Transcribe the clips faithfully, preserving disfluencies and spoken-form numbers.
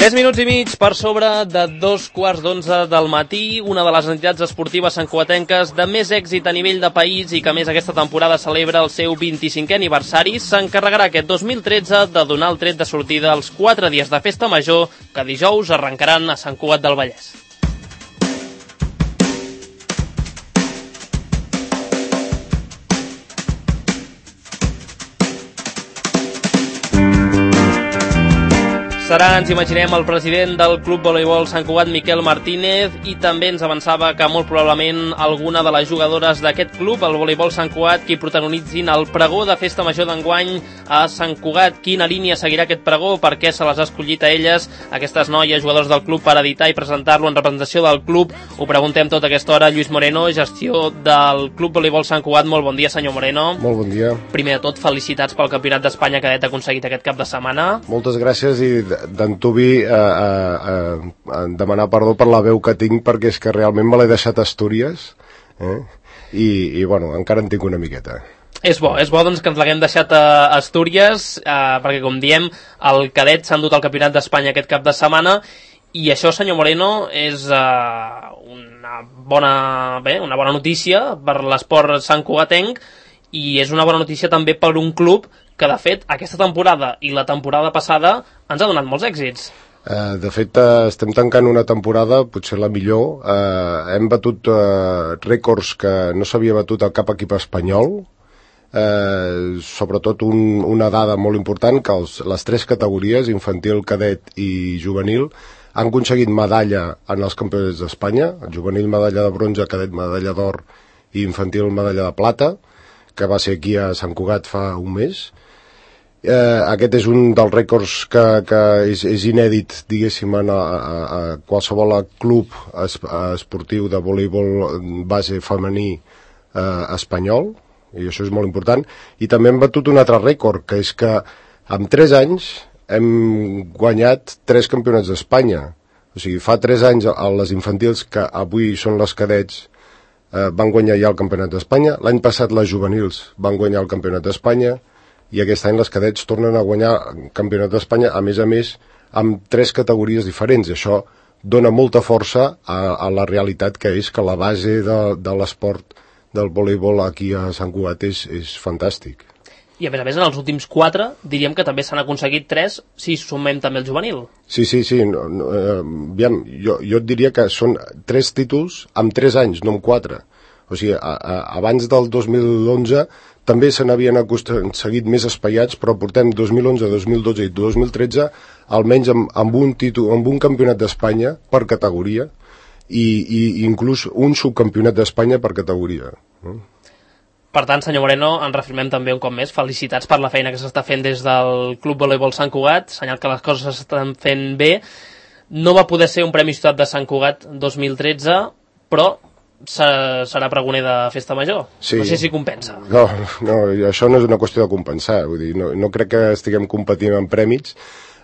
Tres minuts i mig per sobre de dos quarts d'onze del matí, una de les entitats esportives santcugatenques de més èxit a nivell de país i que més aquesta temporada celebra el seu vint-i-cinquè aniversari, s'encarregarà aquest dos mil tretze de donar el tret de sortida als quatre dies de festa major que dijous arrencaran a Sant Cugat del Vallès. Serà, ens imaginem, el president del Club Voleibol Sant Cugat, Miquel Martínez, i també ens avançava que molt probablement alguna de les jugadores d'aquest club, el Voleibol Sant Cugat, qui protagonitzin el pregó de festa major d'enguany a Sant Cugat. Quina línia seguirà aquest pregó? Per què se les ha escollit a elles, aquestes noies jugadors del club, per editar i presentar-lo en representació del club? Ho preguntem tota aquesta hora. Lluís Moreno, gestió del Club Voleibol Sant Cugat. Molt bon dia, senyor Moreno. Molt bon dia. Primer de tot, felicitats pel Campionat d'Espanya cadet aconseguit aquest cap de setmana. Moltes gràcies i d'antuvi a, a, a demanar perdó per la veu que tinc, perquè és que realment me l'he deixat a Astúries, eh? I, i bueno, encara en tinc una miqueta. És bo, és bo doncs que ens l'haguem deixat a Astúries, eh, perquè com diem, el cadet s'ha endut al Campionat d'Espanya aquest cap de setmana, i això, senyor Moreno, és eh, una, bona, bé, una bona notícia per l'esport santcugatenc, i és una bona notícia també per un club que, de fet, aquesta temporada i la temporada passada ens ha donat molts èxits. Uh, de fet, uh, estem tancant una temporada, potser la millor. Uh, hem batut uh, rècords que no s'havia batut a cap equip espanyol. Uh, sobretot un, una dada molt important, que els, les tres categories, infantil, cadet i juvenil, han aconseguit medalla en els campionats d'Espanya. El juvenil, medalla de bronze, cadet, medalla d'or, i infantil, medalla de plata, que va ser aquí a Sant Cugat fa un mes. Eh, aquest és un dels rècords que, que és, és inèdit, diguéssim, a, a, a qualsevol club es, esportiu de voleibol base femení eh, espanyol, i això és molt important. I també hem batut un altre rècord, que és que en tres anys hem guanyat tres campionats d'Espanya. O sigui, fa tres anys a les infantils, que avui són les cadets, eh, van guanyar ja el campionat d'Espanya. L'any passat les juvenils van guanyar el campionat d'Espanya, i aquest any les cadets tornen a guanyar el campionat d'Espanya, a més a més, amb tres categories diferents. Això dona molta força a, a la realitat, que és que la base de, de l'esport del voleibol aquí a Sant Cugat és, és fantàstic. I a més a més, en els últims quatre, diríem que també s'han aconseguit tres, si sumem també el juvenil. Sí, sí, sí. No, no, eh, aviam, jo, jo et diria que són tres títols amb tres anys, no amb quatre. O sigui, a, a, abans del dos mil onze també se n'havien aconseguit més espaiats, però portem dos mil onze, dos mil dotze i dos mil tretze almenys amb, amb, un, títol, amb un campionat d'Espanya per categoria, i, i inclús un subcampionat d'Espanya per categoria. Per tant, senyor Moreno, ens reafirmem també un cop més. Felicitats per la feina que s'està fent des del Club Voleibol Sant Cugat, senyal que les coses s'estan fent bé. No va poder ser un Premi Ciutat de Sant Cugat dos mil tretze, però serà pregoner de festa major. Sí. No sé si compensa. No, no, això no és una qüestió de compensar. Vull dir, no, no crec que estiguem competint en prèmits.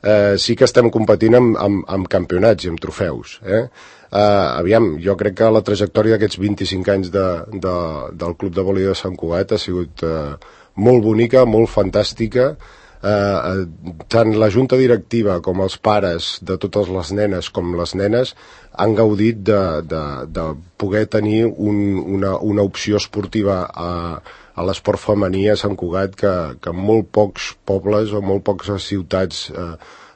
Eh, sí que estem competint amb, amb, amb campionats i amb trofeus. Eh? Eh, aviam, jo crec que la trajectòria d'aquests vint-i-cinc anys de, de, del Club de Voleibol de Sant Cugat ha sigut eh, molt bonica, molt fantàstica. Eh, tant la junta directiva com els pares de totes les nenes com les nenes han gaudit de, de, de poder tenir un, una, una opció esportiva a, a l'esport femení a Sant Cugat que, que molt pocs pobles o molt poques ciutats, eh,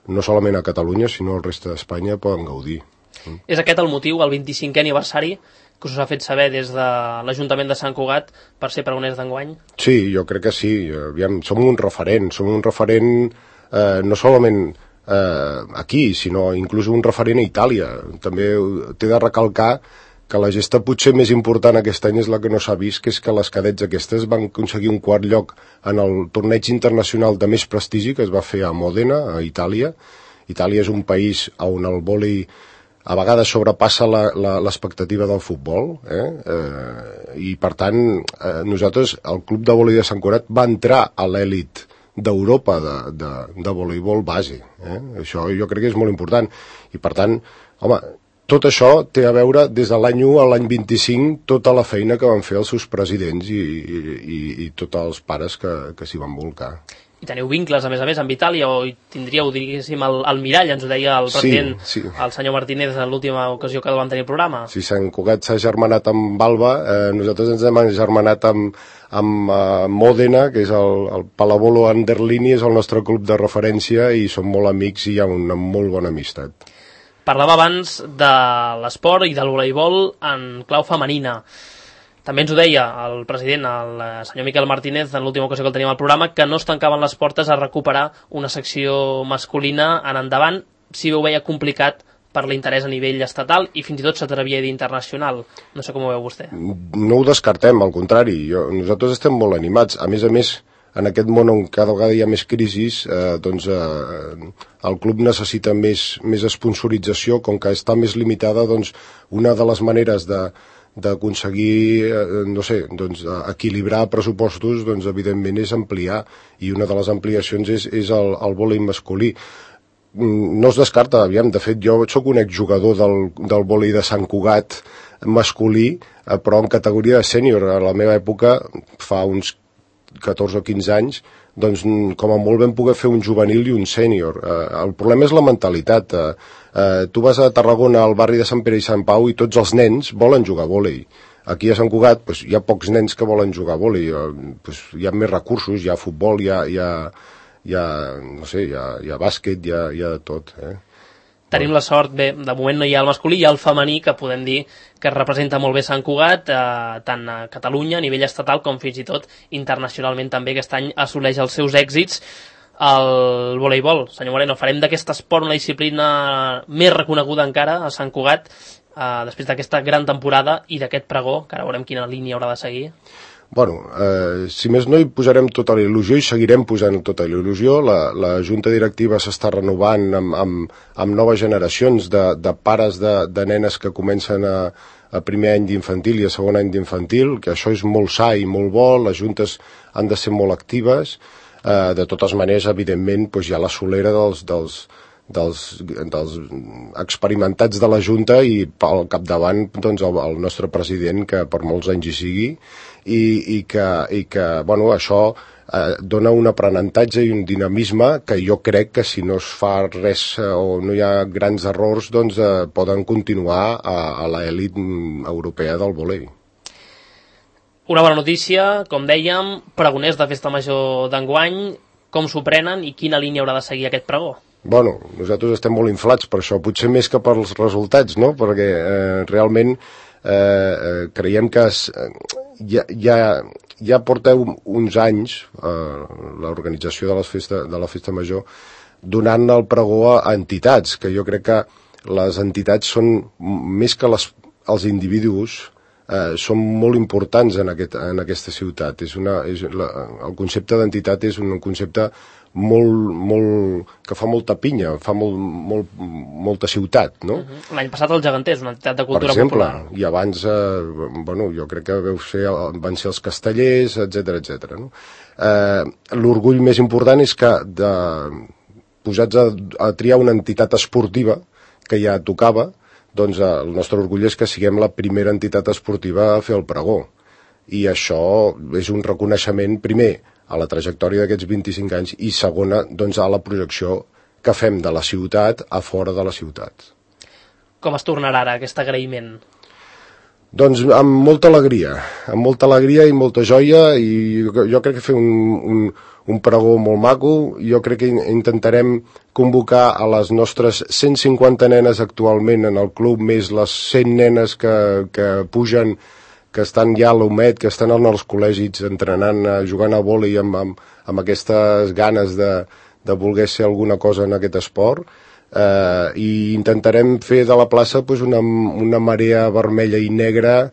no solament a Catalunya sinó al reste d'Espanya, poden gaudir. Mm. És aquest el motiu, el vint-i-cinquè aniversari, que us ha fet saber des de l'Ajuntament de Sant Cugat per ser pregoners d'enguany? Sí, jo crec que sí. Aviam, som un referent, som un referent eh, no solament eh, aquí, sinó inclús un referent a Itàlia. També t'he de recalcar que la gesta potser més important aquest any és la que no s'ha vist, que és que les cadets aquestes van aconseguir un quart lloc en el torneig internacional de més prestigi que es va fer a Mòdena, a Itàlia. Itàlia és un país on el vòlei a vegades sobrepassa l'expectativa del futbol, eh? Eh, i per tant eh, nosaltres, el Club de Voleibol de Sant Cugat va entrar a l'èlit d'Europa de, de, de voleibol base. Eh? Això jo crec que és molt important. I per tant, home, tot això té a veure des de l'any u a l'any vint-i-cinc tota la feina que van fer els seus presidents i, i, i tots els pares que, que s'hi van volcar. i teniu vincles, a més a més, amb Itàlia, o hi tindríeu, diguéssim, el, el mirall, ens ho deia el president, sí, sí. el senyor Martínez, en l'última ocasió que el vam tenir el programa. Si Sant Cugat s'ha germanat amb Alba, eh, nosaltres ens hem germanat amb, amb uh, Mòdena, que és el, el Pallavolo Anderlini, és el nostre club de referència, i som molt amics i hi ha una molt bona amistat. Parlava abans de l'esport i del voleibol en clau femenina. També ens ho deia el president, el senyor Miquel Martínez, en l'última ocasió que el teníem al programa, que no es tancaven les portes a recuperar una secció masculina en endavant, si ho veia complicat per l'interès a nivell estatal i fins i tot s'atrevia a dir internacional. No sé com ho veu vostè. No ho descartem, al contrari. Jo, nosaltres estem molt animats. A més a més, en aquest món on cada vegada hi ha més crisis, eh, doncs eh, el club necessita més, més sponsorització, com que està més limitada, doncs una de les maneres de d'aconseguir, eh, no sé, doncs, equilibrar pressupostos, doncs, evidentment, és ampliar, i una de les ampliacions és, és el, el vòlei masculí. No es descarta, aviam, de fet, jo sóc un exjugador del, del vòlei de Sant Cugat masculí, eh, però en categoria de sènior. A la meva època, fa uns catorze o quinze anys, doncs com a molt vam poder fer un juvenil i un sènior. Eh, el problema és la mentalitat. Eh, eh, tu vas a Tarragona, al barri de Sant Pere i Sant Pau, i tots els nens volen jugar a vòlei. Aquí a Sant Cugat pues, hi ha pocs nens que volen jugar a vòlei. Eh, pues, hi ha més recursos, hi ha futbol, hi ha, hi ha, hi ha no sé, hi ha, hi ha bàsquet, hi ha, hi ha de tot. Eh? Tenim la sort, bé, de moment no hi ha el masculí, hi ha el femení, que podem dir que representa molt bé Sant Cugat, eh, tant a Catalunya, a nivell estatal, com fins i tot internacionalment també. Aquest any assoleix els seus èxits el voleibol. Senyor Moreno, farem d'aquest esport una disciplina més reconeguda encara a Sant Cugat, eh, després d'aquesta gran temporada i d'aquest pregó, que ara veurem quina línia haurà de seguir. Bueno, eh, si més no hi posarem tota la il·lusió i seguirem posant tota la il·lusió. La, la junta directiva s'està renovant amb, amb, amb noves generacions de, de pares de, de nenes que comencen a, a primer any d'infantil i a segon any d'infantil, que això és molt sa i molt bo, les juntes han de ser molt actives. Eh, de totes maneres, evidentment, doncs hi ha la solera dels, dels, dels, dels experimentats de la Junta i al capdavant doncs, el, el nostre president, que per molts anys hi sigui, i, i que, i que bueno, això eh, dona un aprenentatge i un dinamisme que jo crec que si no es fa res eh, o no hi ha grans errors, doncs eh, poden continuar a, a l'elit europea del vòlei. Una bona notícia, com dèiem, pregoners de Festa Major d'enguany, com s'ho prenen i quina línia haurà de seguir aquest pregó? Bueno, nosaltres estem molt inflats per això, potser més que pels resultats, no? Perquè eh, realment eh, creiem que es, eh, ja, ja, ja porteu uns anys eh, l'organització de, les festa, de la Festa Major donant el pregó a entitats, que jo crec que les entitats són més que les, els individus, eh, són molt importants en, aquest, en aquesta ciutat. És una, és la, el concepte d'entitat és un concepte molt, molt, que fa molta pinya, fa molt, molt, molta ciutat, no? Uh-huh. L'any passat el Geganters, una entitat de cultura per exemple, popular. I abans, eh, bueno, jo crec que veu ser, van ser els castellers, etcètera, etcètera. No? Eh, l'orgull més important és que de, posats a, a triar una entitat esportiva que ja tocava, doncs eh, el nostre orgull és que siguem la primera entitat esportiva a fer el pregó. I això és un reconeixement, primer, a la trajectòria d'aquests vint-i-cinc anys i segona, doncs, a la projecció que fem de la ciutat a fora de la ciutat. Com es tornarà ara aquest agraïment? Doncs amb molta alegria, amb molta alegria i molta joia, i jo, jo crec que fer un, un, un pregó molt maco. Jo crec que intentarem convocar a les nostres cent cinquanta nenes actualment en el club, més les cent nenes que, que pugen, que estan ja a l'Homet, que estan en els col·legis entrenant, jugant a vòlei amb, amb, amb aquestes ganes de, de voler ser alguna cosa en aquest esport. Eh, i intentarem fer de la plaça pues, una, una marea vermella i negra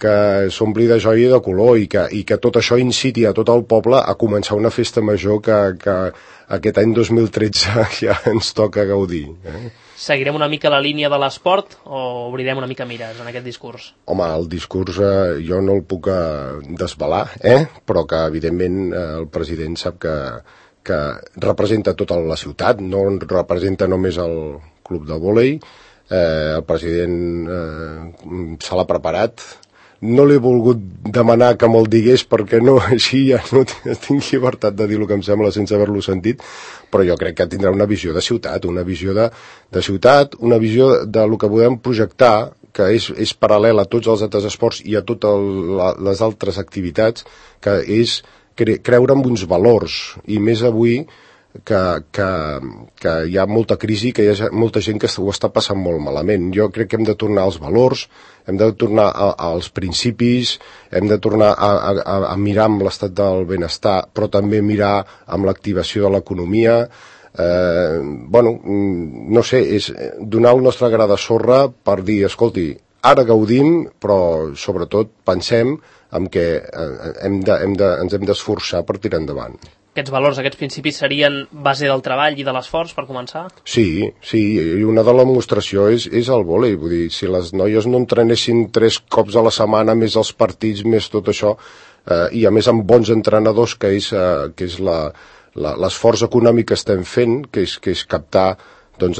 que s'ompli de joia i de color, i que, i que tot això inciti a tot el poble a començar una festa major que, que aquest any dos mil tretze ja ens toca gaudir. Eh? Seguirem una mica la línia de l'esport o obrirem una mica mires en aquest discurs? Home, el discurs eh, jo no el puc eh, desvelar, eh? Però que evidentment eh, el president sap que, que representa tota la ciutat, no representa només el club de vòlei. Eh, el president eh, se l'ha preparat, no l'he volgut demanar que me'l digués perquè no, així ja no tinc llibertat de dir el que em sembla sense haver-lo sentit, però jo crec que tindrà una visió de ciutat, una visió de, de ciutat, una visió de lo que podem projectar, que és, és paral·lel a tots els altres esports i a totes les altres activitats, que és cre creure en uns valors, i més avui que, que, que hi ha molta crisi, que hi ha molta gent que ho està passant molt malament. Jo crec que hem de tornar als valors, hem de tornar a, als principis, hem de tornar a, a, a mirar amb l'estat del benestar, però també mirar amb l'activació de l'economia. Eh, bueno, no sé, és donar el nostre gra de sorra per dir, escolti, ara gaudim, però sobretot pensem en què hem de, hem de, ens hem d'esforçar per tirar endavant. Aquests valors, aquests principis serien base del treball i de l'esforç, per començar? Sí, sí, i una de la demostració és, és el vòlei. Vull dir, si les noies no entrenessin tres cops a la setmana, més els partits, més tot això, eh, i a més amb bons entrenadors, que és, eh, que és l'esforç econòmic que estem fent, que és, que és captar doncs,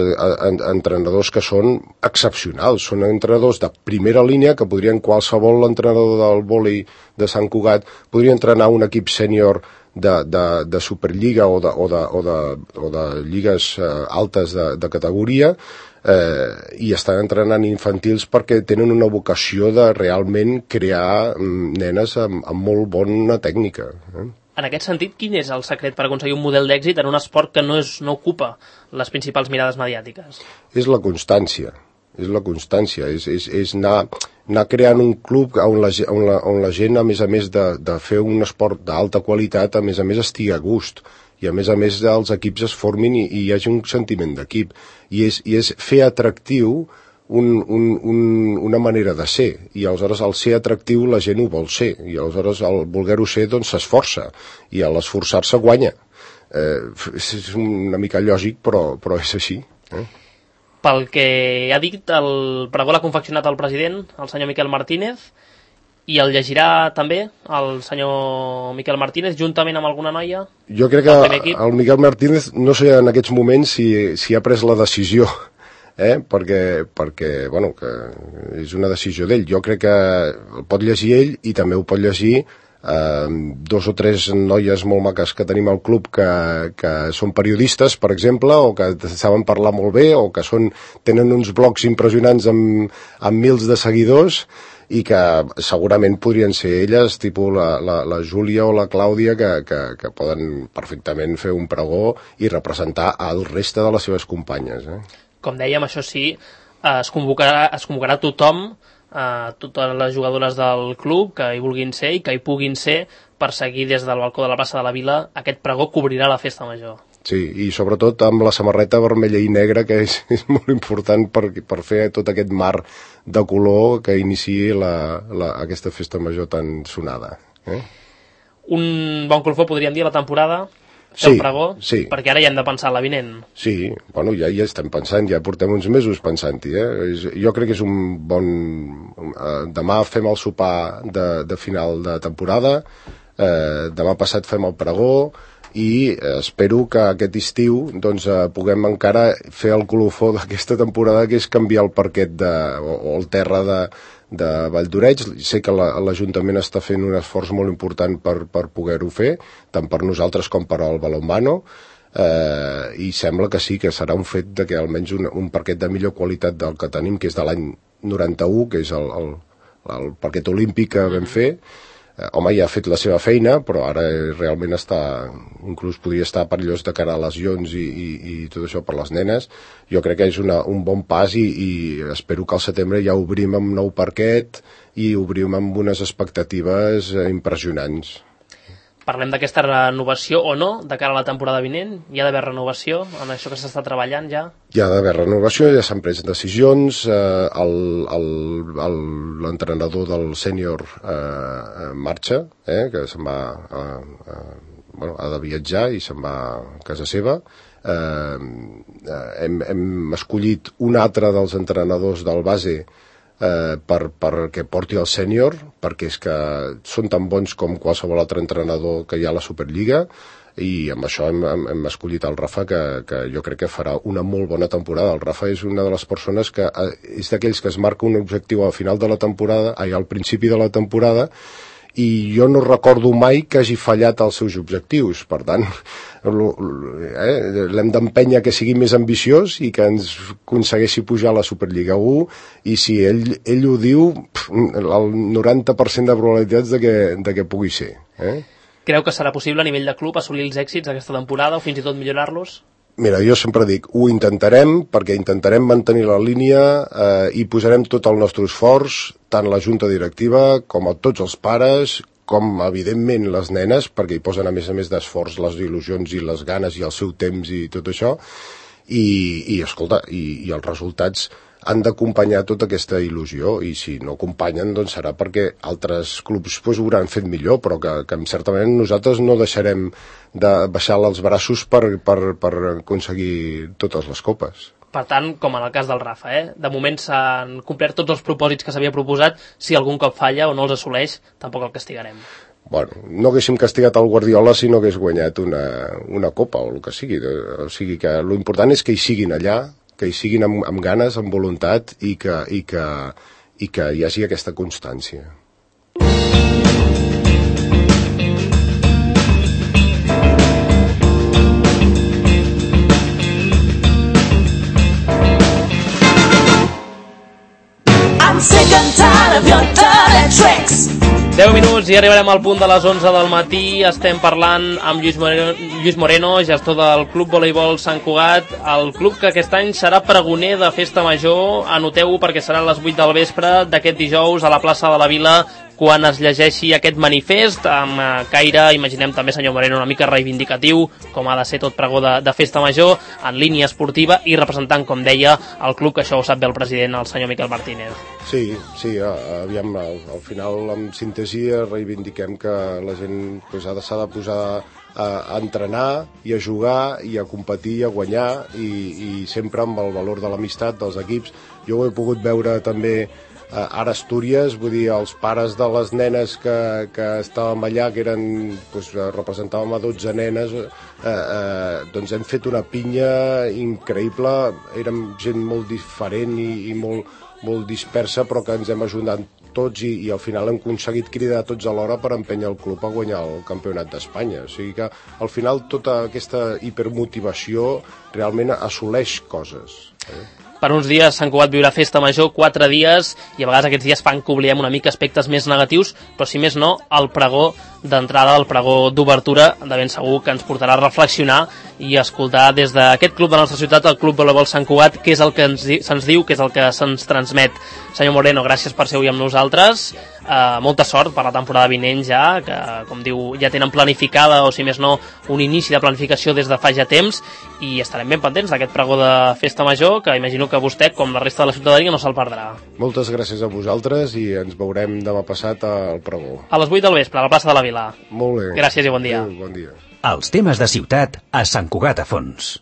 entrenadors que són excepcionals, són entrenadors de primera línia que podrien, qualsevol entrenador del vòlei de Sant Cugat podria entrenar un equip sènior de, de, de Superliga o de, o de, o de, o de lligues eh, altes de, de categoria, eh, i estan entrenant infantils perquè tenen una vocació de realment crear mm, nenes amb, amb molt bona tècnica. Eh? En aquest sentit, quin és el secret per aconseguir un model d'èxit en un esport que no, és, no ocupa les principals mirades mediàtiques? És la constància, és la constància, és, és, és anar, anar creant un club on la, on la, on la gent, a més a més de, de fer un esport d'alta qualitat, a més a més estigui a gust, i a més a més els equips es formin i, i hi hagi un sentiment d'equip, i és, i és fer atractiu Un, un, un, una manera de ser, i aleshores al ser atractiu la gent ho vol ser, i aleshores al voler-ho ser doncs s'esforça, i a l'esforçar-se guanya. Eh, és una mica lògic, però, però és així. Eh? Pel que ha dit, el pregó l'ha confeccionat el president, el senyor Miquel Martínez, i el llegirà també el senyor Miquel Martínez, juntament amb alguna noia? Jo crec que el Miquel Martínez, no sé en aquests moments si, si ha pres la decisió, Eh, perquè, perquè bueno, que és una decisió d'ell. Jo crec que el pot llegir ell i també ho pot llegir eh, dos o tres noies molt maques que tenim al club que, que són periodistes, per exemple, o que saben parlar molt bé, o que són, tenen uns blogs impressionants amb, amb mils de seguidors, i que segurament podrien ser elles, tipus la, la, la Júlia o la Clàudia, que, que, que poden perfectament fer un pregó i representar el reste de les seves companyes. Eh? Com dèiem, això sí, es convocarà, es convocarà tothom, eh, totes les jugadores del club que hi vulguin ser i que hi puguin ser, per seguir des del balcó de la plaça de la Vila. Aquest pregó cobrirà la festa major. Sí, i sobretot amb la samarreta vermella i negra, que és, és molt important per, per fer tot aquest mar de color que iniciï la, la, aquesta festa major tan sonada. Eh? Un bon colofó, podríem dir, a la temporada. Sí, pregó, sí. Perquè ara ja hem de pensar la vinent. Sí, bueno, ja hi estem pensant, ja portem uns mesos pensant-hi. Eh? Jo crec que és un bon... Eh, demà fem el sopar de, de final de temporada, eh, demà passat fem el pregó, i espero que aquest estiu doncs, eh, puguem encara fer el colofó d'aquesta temporada, que és canviar el parquet de, o, o el terra de, de Valldoreix. Sé que l'Ajuntament està fent un esforç molt important per, per poder-ho fer, tant per nosaltres com per al balonmano, eh, i sembla que sí, que serà un fet de que almenys un, un parquet de millor qualitat del que tenim, que és de l'any noranta-u, que és el, el, el parquet olímpic que vam fer. Home, ja ha fet la seva feina, però ara realment està, inclús podria estar perillós de cara a lesions i, i, i tot això per les nenes. Jo crec que és una, un bon pas, i, i espero que al setembre ja obrim amb nou parquet i obrim amb unes expectatives impressionants. Parlem d'aquesta renovació o no de cara a la temporada vinent? Hi ha d'haver renovació en això que s'està treballant ja? Hi ha d'haver renovació, ja s'han pres decisions. Eh, l'entrenador del sènior eh, marxa, eh, que se'n va eh, eh, bueno, ha de viatjar i se'n va a casa seva. Eh, hem, hem escollit un altre dels entrenadors del base Eh, per, perquè porti el sènior, perquè és que són tan bons com qualsevol altre entrenador que hi ha a la Superliga. i amb això hem, hem, hem escollit el Rafa, que, que jo crec que farà una molt bona temporada. El Rafa és una de les persones que és d'aquells que es marca un objectiu al final de la temporada, ai, al principi de la temporada, i jo no recordo mai que hagi fallat els seus objectius. Per tant, eh, l'hem d'empènyer que sigui més ambiciós i que ens aconsegueixi pujar a la Superliga u, i si ell, ell ho diu, el noranta per cent de probabilitats de que, de que pugui ser. Eh? Creu que serà possible a nivell de club assolir els èxits aquesta temporada o fins i tot millorar-los? Mira, jo sempre dic, ho intentarem, perquè intentarem mantenir la línia eh, i posarem tot el nostre esforç, tant la junta directiva com a tots els pares, com evidentment les nenes, perquè hi posen a més a més d'esforç les il·lusions i les ganes i el seu temps i tot això, i, i escolta, i, i els resultats han d'acompanyar tota aquesta il·lusió, i si no acompanyen doncs serà perquè altres clubs pues, ho hauran fet millor, però que, que certament nosaltres no deixarem de baixar els braços per, per, per aconseguir totes les copes. Per tant, com en el cas del Rafa, eh? De moment s'han complert tots els propòsits que s'havia proposat. Si algun cop falla o no els assoleix, tampoc el castigarem. Bueno, no haguéssim castigat el Guardiola si no hagués guanyat una, una copa o el que sigui. O sigui que l'important és que hi siguin allà, que hi siguin amb, amb ganes, amb voluntat, i que, i, que, i que hi hagi aquesta constància. I'm sick and tired of your dirty tricks. deu minuts i arribarem al punt de les onze del matí. Estem parlant amb Lluís Moreno, Lluís Moreno, gestor del Club Voleibol Sant Cugat, el club que aquest any serà pregoner de Festa Major. Anoteu-ho perquè serà a les vuit del vespre d'aquest dijous a la plaça de la Vila, quan es llegeixi aquest manifest amb caire, imaginem també, senyor Moreno, una mica reivindicatiu, com ha de ser tot pregó de, de Festa Major, en línia esportiva i representant, com deia, el club, que això ho sap bé el president, el senyor Miquel Martínez. Sí, sí, aviam, al, al final, amb síntesi, reivindiquem que la gent pues, ha de, s'ha de posar a, a entrenar i a jugar i a competir i a guanyar, i, i sempre amb el valor de l'amistat dels equips. Jo ho he pogut veure també ara a Astúries, vull dir, els pares de les nenes que, que estàvem allà, que eren, doncs, representàvem a dotze nenes, eh, eh, doncs hem fet una pinya increïble, érem gent molt diferent i, i molt, molt dispersa, però que ens hem ajudat tots, i, i al final hem aconseguit cridar tots alhora per empènyer el club a guanyar el campionat d'Espanya. O sigui que al final tota aquesta hipermotivació realment assoleix coses. Eh? Per uns dies Sant Cugat viurà Festa Major, quatre dies, i a vegades aquests dies fan que oblidem una mica aspectes més negatius, però si més no, el pregó d'entrada, el pregó d'obertura, de ben segur que ens portarà a reflexionar i a escoltar des d'aquest club de la nostra ciutat, el Club Voleibol Sant Cugat, què és el que ens, se'ns diu, què és el que se'ns transmet. Senyor Moreno, gràcies per ser avui amb nosaltres. Uh, molta sort per la temporada vinent ja, que, com diu, ja tenen planificada, o si més no, un inici de planificació des de fa ja temps, i estarem ben pendents d'aquest pregó de Festa Major, que imagino que vostè, com la resta de la ciutadania, no se'l perdrà. Moltes gràcies a vosaltres, i ens veurem demà passat al pregó. A les vuit del vespre, a la plaça de la Vila. Molt bé. Gràcies i bon dia. Adéu, bon dia. Els temes de ciutat a Sant Cugat a Fons.